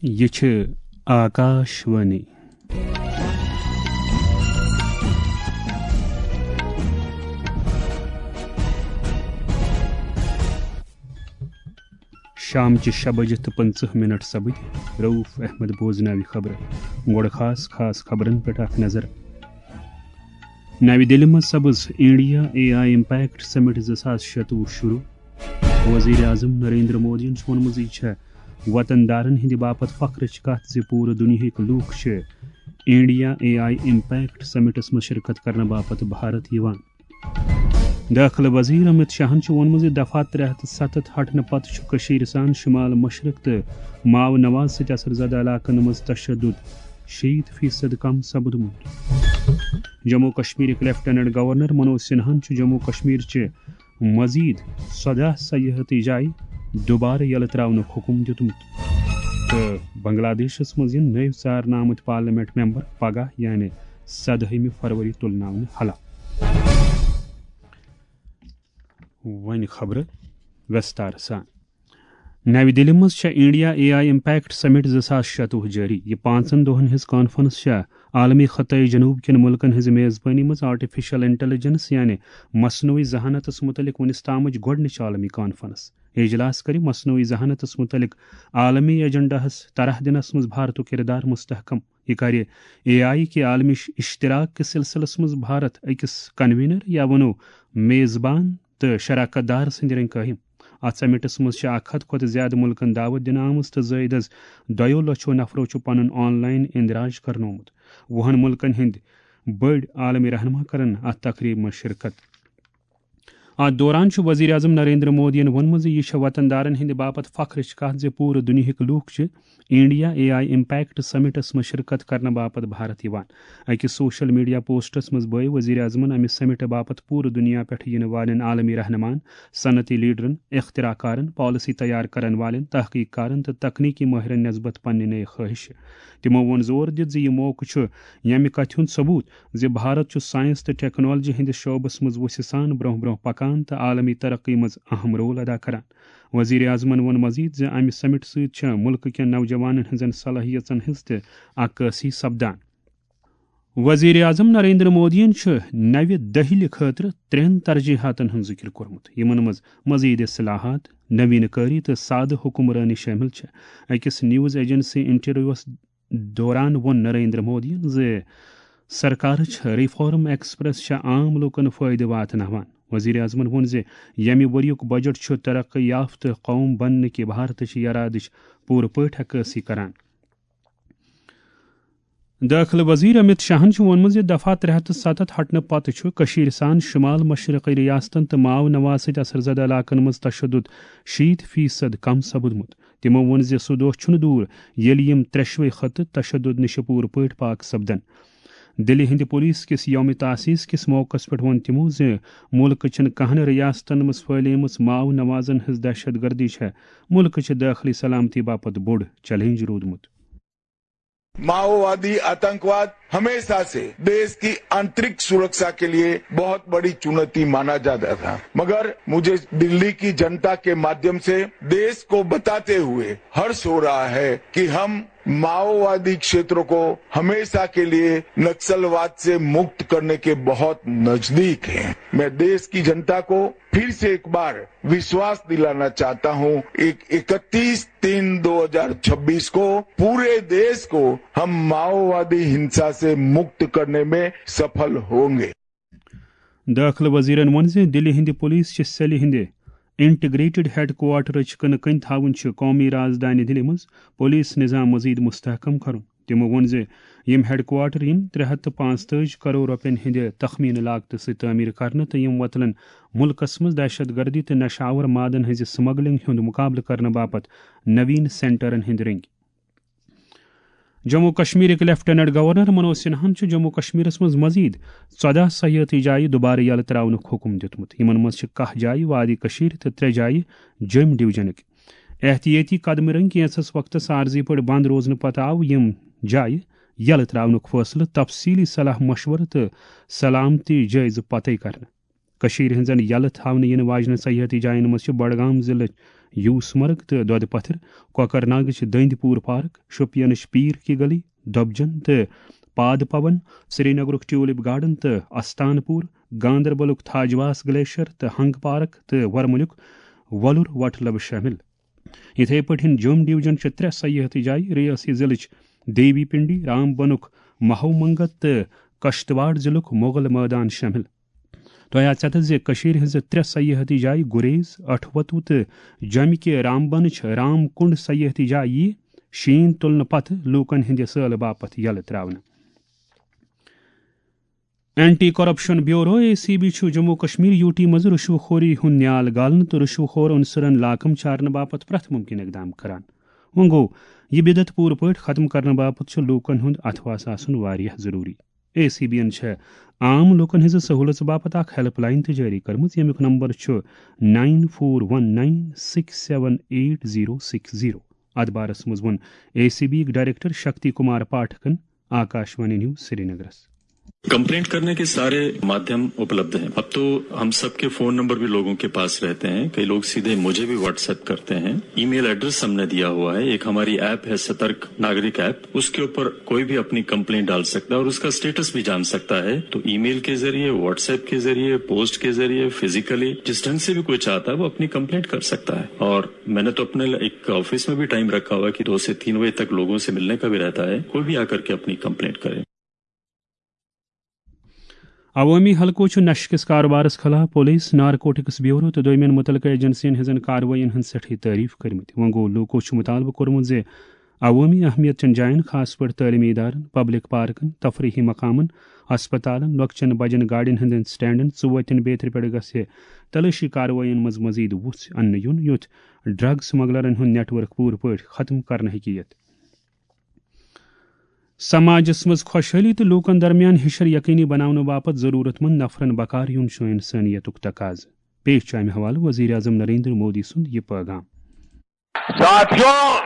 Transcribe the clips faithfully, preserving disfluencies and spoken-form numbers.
یہِ چھِ آکاش وانی۔ شامچہِ شےٚ بجہِ تہٕ پٕنٛژٕہ مِنٹ سپٕدۍ۔ رؤف احمد بوزناوِ خبرٕ۔ گۄڈٕ خاص خاص خبرن پٮ۪ٹھ اکھ نظر۔ نَوِ دِلہِ منٛز سپٕز انڈیا اے آئی امپیکٹ سمٹ زٕ ساس شتوُہ شروع۔ وزیر اعظم نریندر مودیَن چھُ ووٚنمُت زِ یہِ چھےٚ وطن دارن ہٕنٛدِ باپتھ فخرٕچ کتھ زِ پوٗرٕ دُنیاہٕکۍ لوٗکھ چھِ India A I impact summits منٛز شرکت کرنہٕ باپتھ بھارت یِوان۔ دٲخلہٕ وزیر امت شاہن چھُ ووٚنمُت زِ دفعہ ترٛےٚ ہتھ ستتھ ہٹنہٕ پتہٕ چھُ کٔشیٖرِ سان شمال مشرق تہٕ ماو نواز سۭتۍ اثر زدٕ علاقن منٛز تشدد شیٖتھ فیصد کم سپُدمُت۔ جموں کشمیرٕکۍ لیفٹیننٹ گورنر منوج سنہاہن چھُ جموں کشمیر چہِ مزید ژۄداہ سیاحتی جایہِ دوبارٕ یلہٕ تراونُک حکم دیُتمُت۔ تہٕ بنگلہ دیشس منٛز یِن نٔوۍ ژارنہٕ آمٕتۍ پارلیمنٹ ممبر پگاہ یعنی سدہمہِ فروری تُلناونہٕ حلف۔ وۄنۍ خبرٕ وستار سان۔ نَوِ دِلہِ منٛز چھےٚ انڈیا اے آئی امپیکٹ سمٹ زٕ ساس شتوُہ جٲری۔ یہِ پانٛژن دۄہن ہٕنٛز کانفرنس چھےٚ عالمی خطے جنوب کٮ۪ن مُلکن ہٕنٛزِ میزبٲنی منٛز آرٹیفیشل انٹیلیجنس یعنی مصنوعی ذہانتس مُتعلق وُنِس تامٕچ گۄڈٕنِچ عالمی کانفرنس۔ اجلاس کرِ مصنوعی ذہانتس مُتعلق عالمی ایجنڈاہس طرح دِنس منٛز بھارتُک کردار مستحکم۔ یہِ کرِ اے آئی کے عالمی اش-، اشتراک کِس سلسلس منٛز بھارت أکِس کنوینر یا ونو میزبان تہٕ شراکت دار سٕنٛدِ رنگہِ قٲیِم۔ اتھ سمٹس منٛز چھِ اکھ ہتھ کھۄتہٕ زیادٕ مُلکن دعوت دِنہٕ آمٕژ تہٕ زٲیدس دۄیو لچھو نفرو چھُ پنُن آن لائن اندراج کرنومُت۔ وُہن مُلکن ہٕنٛدۍ بٔڑۍ عالمی رہنما کرن اتھ تقریبہِ منٛز شرکت۔ اتھ دوران چھُ وزیر اعظم نریندر مودیَن ووٚنمُت زِ یہِ چھےٚ وطن دارن ہٕنٛدِ باپتھ فخرٕچ کتھ زِ پوٗرٕ دُنیاہٕکۍ لوٗکھ چھِ India A I impact summits منٛز شرکت کرنہٕ باپتھ بھارت یِوان۔ أکِس سوشل میڈیا پوسٹس منٛز بٲوۍ وزیر اعظمن امہِ سمٹ باپتھ پوٗرٕ دُنیا پٮ۪ٹھ یِنہٕ والٮ۪ن عالمی رہنمان، صنعتی لیڈرن، اختراع کارن، پالیسی تیار کرن والٮ۪ن، تحقیق کارن تہٕ تکنیکی مٲہرن نسبت پننہِ نئے خواہش۔ تِمو ووٚن زور دِتھ زِ یہِ موقعہٕ چھُ ییٚمہِ کتھِ ہُنٛد ثبوت زِ بھارت چھُ سائنس تہٕ ٹیکنالوجی ہٕنٛدِس شعبس منٛز وُژھِ سان برٛونٛہہ برٛونٛہہ پکان تہٕ عالمی ترقی منٛز اہم رول ادا کران۔ وزیر اعظمن ووٚن مزید زِ امہِ سمٹ سۭتۍ چھےٚ مُلکہٕ کٮ۪ن نوجوانن ہٕنٛزن صلٲحیژن ہٕنٛز تہِ عکٲسی سپدان۔ وزیر اعظم نریندر مودیَن چھُ نَوِ دہلی خٲطرٕ ترٛٮ۪ن ترجیحاتن ہُنٛد ذِکر کوٚرمُت، یِمن منٛز مزید اصلاحات، نوین کاری تہٕ سادٕ حکمرٲنی شٲمِل چھےٚ۔ أکِس نیوز ایجنسی انٹرویوس دوران ووٚن نریندر مودیَن زِ سرکار چھےٚ ریفارم ایکسپریس چھےٚ عام لوٗکن فٲیدٕ واتناوان۔ وزیر اعظمن ووٚن زِ ییٚمہِ ؤریُک بجٹ چھُ ترقی یافتہٕ قوم بننہٕ کہِ بھارتٕچ یرادٕچ پوٗرٕ پٲٹھۍ عکٲسی کران۔ دٲخلہٕ وزیر امت شاہن چھُ ووٚنمُت زِ دفعہ ترٛےٚ ہتھ تہٕ ستتھ ہٹنہٕ پتہٕ چھُ کٔشیٖرِ سان شمال مشرقی ریاستن تہٕ ماو نواز سۭتۍ اثر زدٕ علاقن منٛز تشدد شیٖتھ فیصد کم سپُدمُت۔ تِمو ووٚن زِ سُہ دۄہ چھُنہٕ دوٗر ییٚلہِ یِم ترٛٮ۪شوَے خطہٕ تشدد نِش پوٗرٕ پٲٹھۍ پاک سپدن۔ دِلہِ ہٕنٛدِ پولیس کِس یوم تاسیس کِس موقعس پٮ۪ٹھ ووٚن تِمو زِ مُلکہٕ چٮ۪ن کہن ریاستن منٛز پھٔہلیمٕژ ماو نوازن ہٕنٛز دہشت گردی چھےٚ مُلکہٕ چہِ دٲخلی سلامتی باپتھ بوٚڑ چیلنج روٗدمُت۔ माओवादी आतंकवाद हमेशा से देश की आंतरिक सुरक्षा के लिए बहुत बड़ी चुनौती माना जाता था, मगर मुझे दिल्ली की जनता के माध्यम से देश को बताते हुए हर्ष हो रहा है कि हम माओवादी क्षेत्रों को हमेशा के लिए नक्सलवाद से मुक्त करने के बहुत नजदीक हैं। मैं देश की जनता को फिर से एक बार विश्वास दिलाना चाहता हूं, एक इकतीस तीन दो हज़ार छब्बीस को पूरे देश को हम माओवादी हिंसा से मुक्त करने में सफल होंगे। دٲخلہٕ وزیرن ووٚن زِ دِلہِ ہٕنٛدِ پولیس چہِ سیلہِ ہٕنٛدِ انٹیگریٹڈ ہیڈ کوارٹرٕچ کٕنہٕ کٔنۍ تھاوٕنۍ چھِ قومی رازدانہِ دِلہِ منٛز پولیس نظام مزید مستحکم کرُن۔ تِمو ووٚن زِ یِم ہیڈ کوارٹر یِن ترٛےٚ ہتھ تہٕ پانٛژتٲجی کرور رۄپین ہٕنٛدِ تخمینہٕ لاگتہٕ سۭتۍ تعمیٖر کرنہٕ تہٕ یِم وۄتلن مُلکس منٛز دہشت گردی تہٕ نشہٕ آور مادن ہٕنٛزِ سمگلنگ ہُنٛد مُقابلہٕ کرنہٕ باپتھ نوین سینٹرن ہٕنٛدۍ رٔنگۍ۔ جموں کشمیرٕکۍ لیفٹیننٹ گورنر منوج سنہاہن چھُ جموں کشمیرس منٛز مزید ژۄداہ سیاحتی جایہِ دوبارٕ یلہٕ تراونُک حکم دیُتمُت۔ یِمن منٛز چھِ کاہ جایہِ وادی کشیرِ تہٕ ترٛےٚ جایہِ جوٚمۍ ڈویژنٕکۍ۔ احتیٲتی قدمہٕ رٔنگۍ کینٛژھس وقتس عارضی پٲٹھۍ بند روزنہٕ پتہٕ آو یِم جایہِ یلہٕ تراونُک فٲصلہٕ تفصیلی صلاح مشورٕ تہٕ سلامتی جٲیزٕ پتے کرنہٕ۔ کٔشیٖرِ ہٕنٛزن یلہٕ تھاونہٕ یِنہٕ واجنہِ سیاحتی جاین منٛز چھِ بڈگام ضلعٕچ یوسمرگ تہٕ دۄدٕ پتھر، کۄکرناگٕچ دٔنٛدۍ پوٗر پارک، شوپینٕچ پیٖر کی گلی، دۄبجن تہٕ پاد پون، سرینگرُک ٹیولپ گارڈن تہٕ استان پوٗر، گاندربلُک تھاجواس گلیشر تہٕ ہنگ پارک تہٕ ورمُلُک وۄلُر وٹھ لب شٲمِل۔ یِتھے پٲٹھۍ جوٚم ڈویژن چہِ ترٛےٚ سیاحتی جایہِ، ریاسی ضلعٕچ دیوی پنڈی، رام بنُک مہو منگت تہٕ کشتواڑ ضلعُک مغل مٲدان شٲمِل۔ تۄہہِ آسہِ ژےٚ زِ کٔشیٖرِ ہٕنٛزٕ ترٛےٚ سیاحتی جایہِ گُریز، اَٹھوَتو تہٕ جوٚمہِ کہِ رامبنٕچ رام کُنڈ سیاحتی جایہِ یِیہِ شیٖن تُلنہٕ پتہٕ لوٗکن ہٕنٛدِ سٲلہٕ باپتھ یلہٕ ترٛاونہٕ۔ Anti corruption bureau, A C B, چھُ جموں کشمیر، یو ٹی منٛز رشوٕ خوری ہُنٛد نیال گالنہٕ تہٕ رشوٕ خور عنصرن لاکم چارنہٕ باپتھ پرٛٮ۪تھ مُمکِن اقدام کران۔ وۄنۍ گوٚو، یہِ بدعت پوٗرٕ پٲٹھۍ ختم کرنہٕ باپتھ چھُ لوٗکن ہُنٛد اتھواس آسُن واریاہ ضروٗری۔ اے سی بی یَن چھےٚ عام لوٗکَن ہٕنٛزِ سہوٗلژ باپتھ اکھ ہیلپ لائن تہِ جٲری کٔرمٕژ، ییٚمیُک نمبر چھُ nine four one nine six seven eight zero six zero. اتھ بارس منٛز ووٚن اے سی بی یِکۍ ڈائریکٹر شکتی کمار پاٹھکن آکاشوانی نیوز سرینگرس۔ कंप्लेंट करने के सारे माध्यम उपलब्ध हैं। अब तो हम सबके फोन नंबर भी लोगों के पास रहते हैं। कई लोग सीधे मुझे भी व्हाट्सएप करते हैं। ईमेल एड्रेस हमने दिया हुआ है। एक हमारी ऐप है सतर्क नागरिक ऐप, उसके ऊपर कोई भी अपनी कंप्लेंट डाल सकता है और उसका स्टेटस भी जान सकता है। तो ईमेल के जरिए, व्हाट्सएप के जरिए, पोस्ट के जरिए, फिजिकली, जिस ढंग से भी कोई चाहता है वो अपनी कंप्लेंट कर सकता है। और मैंने तो अपने एक ऑफिस में भी टाइम रखा हुआ है कि दो से तीन बजे तक लोगों से मिलने का भी रहता है। कोई भी आकर के अपनी कंप्लेंट करे। عوٲمی حلقو چھُ نشہٕ کِس کاربارس خلاف پولیس، نارکوٹکس بیورو تہٕ دوٚیمٮ۪ن مُتعلقہٕ ایجنسین ہٕنٛزن کاروٲیین ہٕنٛز سٮ۪ٹھٕے تعریف کٔرمٕتۍ۔ وۄنۍ گوٚو، لوٗکو چھُ مُطالبہٕ کوٚرمُت زِ عوٲمی اہمیت چٮ۪ن جاین، خاص پٲٹھۍ تعلیمی ادارن، پبلک پارکن، تفریحی مقامن، ہسپتالن، لۄکچٮ۪ن بجن گاڑٮ۪ن ہٕنٛدٮ۪ن سٹینڈن، ژوتٮ۪ن بیترِ پٮ۪ٹھ گژھِ تلٲشی کاروٲیین منٛز مزید وُژھ اننہٕ یُن، یُتھ ڈرگ سمگلرن ہُنٛد نیٹ ورک پوٗرٕ پٲٹھۍ ختم کرنہٕ ہیٚکہِ یِتھ۔ سماجس منٛز خۄشحٲلی تہٕ لوٗکن درمیان ہِشر یقینی بناونہٕ باپتھ ضروٗرت مند نفرن بکار یُن چھُ انسٲنیتُک تقاضہٕ۔ پیش چھُ امہِ حوالہٕ وزیر اعظم نریندر مودی سُنٛد یہِ پٲغام۔ साथियों,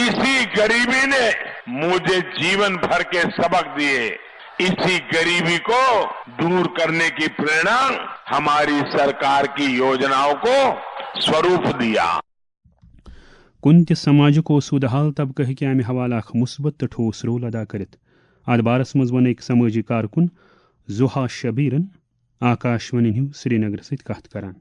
इसी गरीबी ने मुझे जीवन भर के सबक दिए। इसी गरीबी को दूर करने की प्रेरणा हमारी सरकार की योजनाओं को स्वरूप दिया। کُنہِ تہِ سماجُک اوسوٗدٕ حال طبقہٕ ہیٚکہِ امہِ حوالہٕ اکھ مثبت تہٕ ٹھوس رول ادا کٔرِتھ۔ اتھ بارس منٛز ووٚن أکۍ سمٲجی کارکُن زوہا شبیرن آکاشوانی نیوز سرینگر سۭتۍ کتھ کران۔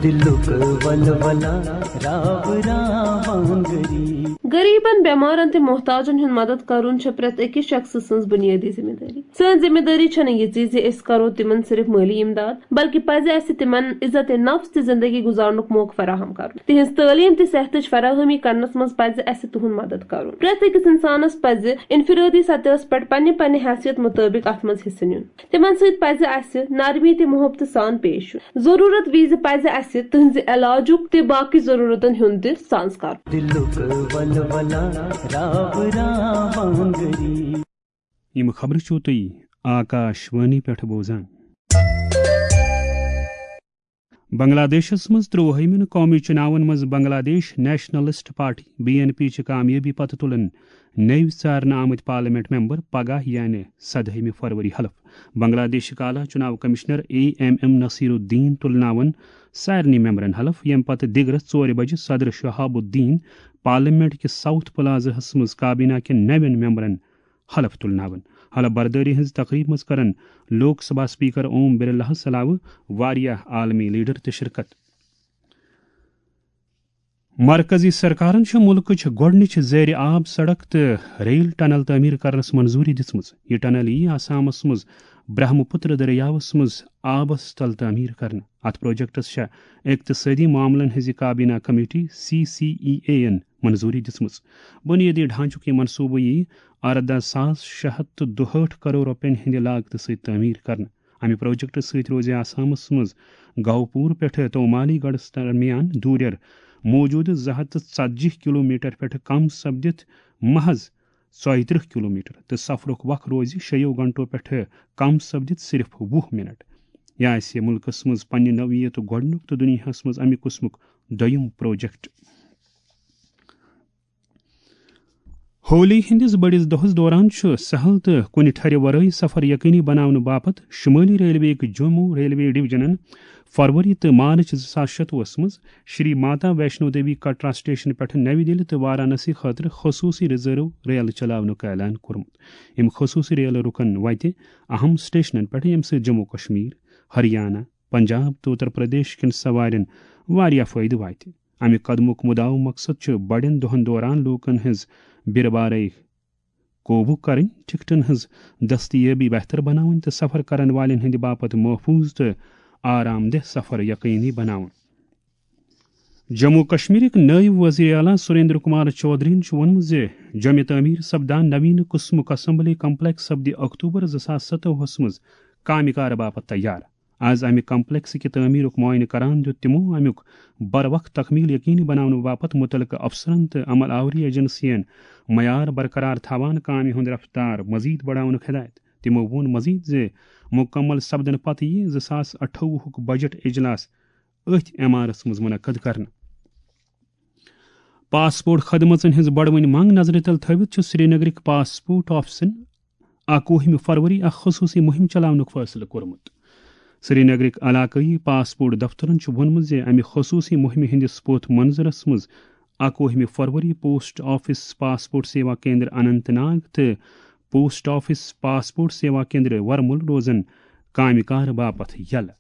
دلک ولولا راب راوانگری۔ غریبن، بیمارن تہٕ محتاجن ہُنٛد مدد کرُن چھےٚ پرٛٮ۪تھ أکِس شخصہٕ سٕنٛز بُنیٲدی ذمہٕ دٲری۔ سٲنۍ ذمہٕ دٲری چھنہٕ یہِ زِ زِ أسۍ کرو تِمن صرف مٲلی امداد، بلکہ پزِ اسہِ تِمن عزت نفس تہٕ زندگی گزارنُک موقعہٕ فراہم کرُن۔ تِہنٛز تعلیٖم تہٕ صحتٕچ فراہمی کرنس منٛز پزِ اسہِ تِہُنٛد مدد کرُن۔ پرٛٮ۪تھ أکِس انسانس پزِ انفرٲدی سطحس پٮ۪ٹھ پننہِ پننہِ حیثیت مُطٲبق اتھ منٛز حصہٕ نیُن۔ تِمن سۭتۍ پزِ اسہِ نرمی تہٕ محبتہٕ سان پیش یُن۔ ضروٗرت وِزِ پزِ اسہِ تِہنٛزِ علاجُک تہٕ باقٕے ضروٗرتن ہُنٛد تہِ سانٛز کرُن۔ دلک ولولا راب راوانگری۔ یِم خبرٕ چھِو تُہۍ آکاش وانی پٮ۪ٹھ بوزان۔ بنگلہ دیشس منٛز ترٛۆوُہمٮ۪ن قومی چُناون منٛز Bangladesh nationalist party, B N P, چہِ کامیٲبی پتہٕ تُلن نٔوۍ ژارنہٕ آمٕتۍ پارلیمنٹ ممبر پگاہ، یعنی سدہمہِ فروری، حلف۔ بنگلہ دیشٕکۍ اعلیٰ چُناو commissioner A M M Nasir Uddin تُلناون سارنٕے ممبرن حلف، ییٚمہِ پتہٕ دِگرس ژورِ بجہِ صدر شہاب الدین پارلیمنٹ کِس ساؤتھ پلازہس منٛز کابینہ کٮ۪ن نوٮ۪ن ممبرن حلف تُلناون۔ حلف بردٲری ہٕنٛزِ تقریبہِ منٛز کرن لوک سبھا اسپیکر اوم برلاہس علاوٕ واریاہ عالمی لیڈر تہِ شرکت۔ مرکزی سرکارن چھِ مُلکٕچ گۄڈٕنِچ زیر آب سڑک تہٕ ریل ٹنل تعمیٖر کرنس منظوٗری دِژمٕژ۔ یہِ ٹنل یِیہِ آسامس منٛز برہم پُتر دٔریاوس منٛز آبس تل تعمیٖر کرنہٕ۔ اتھ پروجیکٹس چھےٚ اقتصٲدی معاملن ہٕنٛزِ کابینہ committee, C C E A, یَن منظوٗری دِژمٕژ۔ بُنیٲدی ڈھانچُک یہِ منصوٗبہٕ یِیہِ ارداہ ساس شےٚ ہتھ تہٕ دُہٲٹھ کرور رۄپین ہٕنٛدِ لاگتہٕ سۭتۍ تعمیٖر کرنہٕ۔ امہِ پروجیکٹہٕ سۭتۍ روزِ آسامس منٛز گہوپور پٮ۪ٹھٕ تومالی گڑھس درمیان دوٗرٮ۪ر موجودٕ زٕ ہتھ تہٕ ژتجی کلومیٹر پٮ۪ٹھٕ کم سپدِتھ محض ژۄیہِ ترٕٛہ کلومیٹر تہٕ سفرُک وق روزِ شیٚیو گھنٹو پٮ۪ٹھٕ کم سپدِتھ صرف وُہ منٹ۔ یہِ آسہِ مُلکس منٛز پننہِ نوعیتُک گۄڈٕنیُک تہٕ دُنیاہس منٛز امہِ قٕسمُک دوٚیُم پروجیکٹ۔ ہولی ہٕنٛدِس بٔڑِس دۄہَس دوران چھُ سہل تہٕ کُنہِ ٹھرِ ورٲے سفر یقینی بناونہٕ باپتھ شمٲلی ریلوے یٕک جموں ریلوے ڈویژنن فروری تہٕ مارچ زٕ ساس شتوُہس منٛز شری ماتا ویشنو دیوی کٹرا سٹیشن پٮ۪ٹھ نَوِ دِلہِ تہٕ وارانسی خٲطرٕ خصوٗصی ریزرو ریلہٕ چلاونُک اعلان کوٚرمُت۔ یِم خصوٗصی ریلہٕ رُکن وتہِ اہم سٹیشنن پٮ۪ٹھ، ییٚمہِ سۭتۍ جموں کشمیر، ہریانہ، پنجاب تہٕ اتر پردیش کٮ۪ن سوارٮ۪ن واریاہ فٲیدٕ واتہِ۔ امہِ قدمُک مدعا مقصد چھُ بڑٮ۪ن دۄہن دوران لوٗکن ہٕنٛز بِرٕ بارے قوبوٗ کرٕنۍ، ٹکٹن ہٕنٛز دستیٲبی بہتر بناوٕنۍ تہٕ سفر کرن والٮ۪ن ہٕنٛدِ باپتھ محفوظ تہٕ آرام دہ سفر یقینی بناوُن۔ جموں کشمیرٕکۍ نٲیِب وزیر اعلیٰ سریندر کمار چودھرین چھُ ووٚنمُت زِ جامع تعمیٖر سپدان نویٖن قٕسمُک اسمبلی کمپلیکس سپدِ اکتوبر زٕ ساس ستووُہس منٛز کامہِ کار باپتھ تیار۔ از امہِ کمپلیکس کہِ تعمیرُک معائنہٕ کران دیُت تِمو امیُک بر وقت تکمیل یقینی بناونہٕ باپتھ متعلقہٕ افسرن تہٕ عمل آوری ایجنسین معیار برقرار تھاوان کامہِ ہُنٛد رفتار مزید بڑاونُک ہدایت۔ تِمو ووٚن مزید زِ مکمل سپدنہٕ پتہٕ یِیہِ زٕ ساس اَٹھووُہُک بجٹ اجلاس أتھۍ عمارس منٛز منعقد کرنہٕ۔ پاسپورٹ خدمژن ہٕنٛز بڑوٕنۍ منگ نظرِ تل تھٲوِتھ چھُ سرینگرٕکۍ پاسپورٹ آفسن اَکوُہمہِ فروری اکھ خصوٗصی مُہِم چلاونُک فٲصلہٕ کوٚرمُت۔ سرینگرٕکۍ علاقٲیی پاسپورٹ دفترن چھُ ووٚنمُت زِ امہِ خصوٗصی مُہِمہِ ہٕنٛدِس پوتھ منظرس منٛز اَکوُہمہِ فروری post office passport Seva Kendra Anant Nag تہٕ post office passport Seva Kendra Warmul روزن کامہِ کار باپتھ یلہٕ۔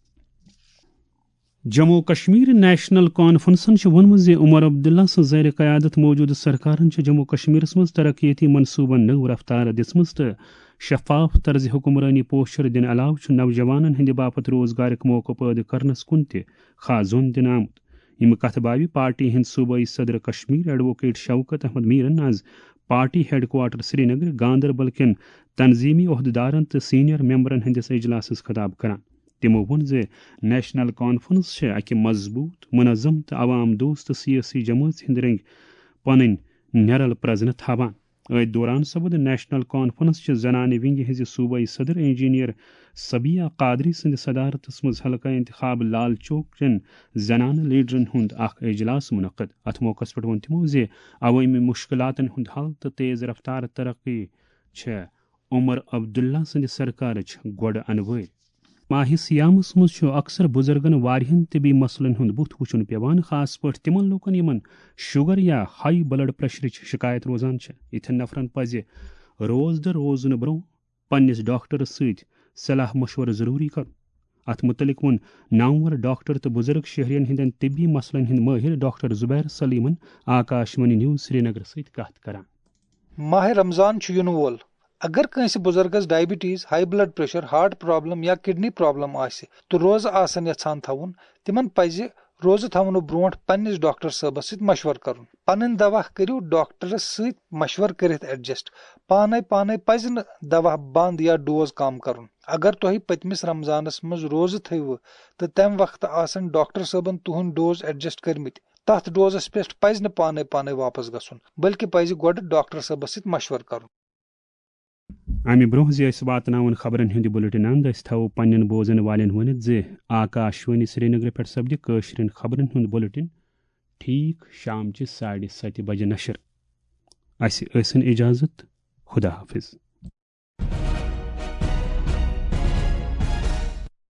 جموں و کشمیر نیشنل کانفرنسن چھُ ووٚنمُت زِ عمر عبداللہ سٕنٛز زیر قیادت موجودٕ سرکارن چھِ جموں و کشمیرس منٛز ترقیتی منصوبن نٔو رفتار دِژمٕژ تہٕ شفاف طرز حکمرٲنی پوچھر دِنہٕ علاوٕ چھُ نوجوانن ہٕنٛدِ باپتھ روزگارٕک موقعہٕ پٲدٕ کرنس کُن تہِ خاص زوٚن دِنہٕ آمُت۔ یِم کتھٕ باوِ پارٹی ہٕنٛدۍ صوبٲئی صدر کشمیر ایڈووکیٹ شوکت احمد میرن از party head quarter Srinagar Ganderbal کٮ۪ن تنظیمی عہدیدارن تہٕ سینئر ممبرن ہٕنٛدِس اجلاسس خطاب کران۔ تِمو ووٚن زِ نیشنل کانفرنس چھِ اکہِ مضبوط، منظم تہٕ عوام دوست سیٲسی جمٲژ ہٕنٛدۍ رٔنگۍ پنٕنۍ نیرل پرزنہٕ تھاوان۔ أتھۍ دوران سپُد نیشنل کانفرنس چہِ زنانہِ ونگہِ ہٕنٛزِ صوبٲئی صدر انجینئر صبیہ قادری سٕنٛدِ صدارتس منٛز حلقہ انتخاب لال چوک چٮ۪ن زنانہٕ لیڈرن ہُنٛد اکھ اجلاس منعقد۔ اتھ موقعس پٮ۪ٹھ ووٚن تِمو زِ عوٲمی مشکلاتن ہُنٛد حل تہٕ تیز رفتار ترقی چھےٚ عمر عبداللہ سٕنٛدِ سرکارٕچ گۄڈٕ انوٲرۍ۔ ماہِ صیامس منٛز چھُ اکثر بُزرگن واریاہن طبی مسلن ہُنٛد بُتھ وُچھُن پٮ۪وان، خاص پٲٹھۍ تِمن لوٗکن یِمن شُگر یا ہاے بلڈ پریشرٕچ شکایت روزان چھےٚ۔ یِتھٮ۪ن نفرن پزِ روزدٕ روزنہٕ برٛونٛہہ پننِس ڈاکٹرس سۭتۍ صلاح مشورٕ ضروٗری کرُن۔ اتھ مُتعلق ووٚن نامور ڈاکٹر تہٕ بُزرگ شہرین ہٕنٛدٮ۪ن طبی مسلن ہٕنٛدۍ مٲہِر ڈاکٹر زبیر سلیمن آکاش وانی نیوز سرینگر سۭتۍ کتھ کران۔ ماہِ رمضان چھُ یِنہٕ وول۔ اگر کٲنٛسہِ بُزرگس diabetes, high blood pressure, heart problem یا کڈنی پرابلم آسہِ تہٕ روزٕ آسن یژھان تھاوُن، تِمن پزِ روزٕ تھاونہٕ برونٛٹھ پننِس ڈاکٹر صٲبس سۭتۍ مشورٕ کرُن۔ پنٕنۍ دوا کٔرِو ڈاکٹرس سۭتۍ مشورٕ کٔرِتھ ایڈجسٹ۔ پانے پانے پزِ نہٕ دوا بند یا ڈوز کم کرُن۔ اگر تۄہہِ پٔتمِس رمضانس منٛز روزٕ تھٲوِوٕ تہٕ تمہِ وقتہٕ آسن ڈاکٹر صٲبن تُہنٛدۍ ڈوز ایڈجسٹ کٔرمٕتۍ، تتھ ڈوزس پٮ۪ٹھ پزِ نہٕ پانے پانے واپس گژھُن، بلکہِ پزِ گۄڈٕ ڈاکٹر صٲبس سۭتۍ مشورٕ کرُن۔ امہِ برونٛہہ زِ أسۍ واتناوون خبرن ہُنٛد یہِ بُلٹن اند، أسۍ تھاوو پننٮ۪ن بوزن والٮ۪ن ؤنِتھ زِ آکاش وانی سرینگرٕ پٮ۪ٹھ سپدِ کٲشرٮ۪ن خبرن ہُنٛد بُلٹن ٹھیٖک شامچہِ ساڑِ ستہِ بجہِ نشر۔ اسہِ ٲسِن اجازت۔ خدا حافظ۔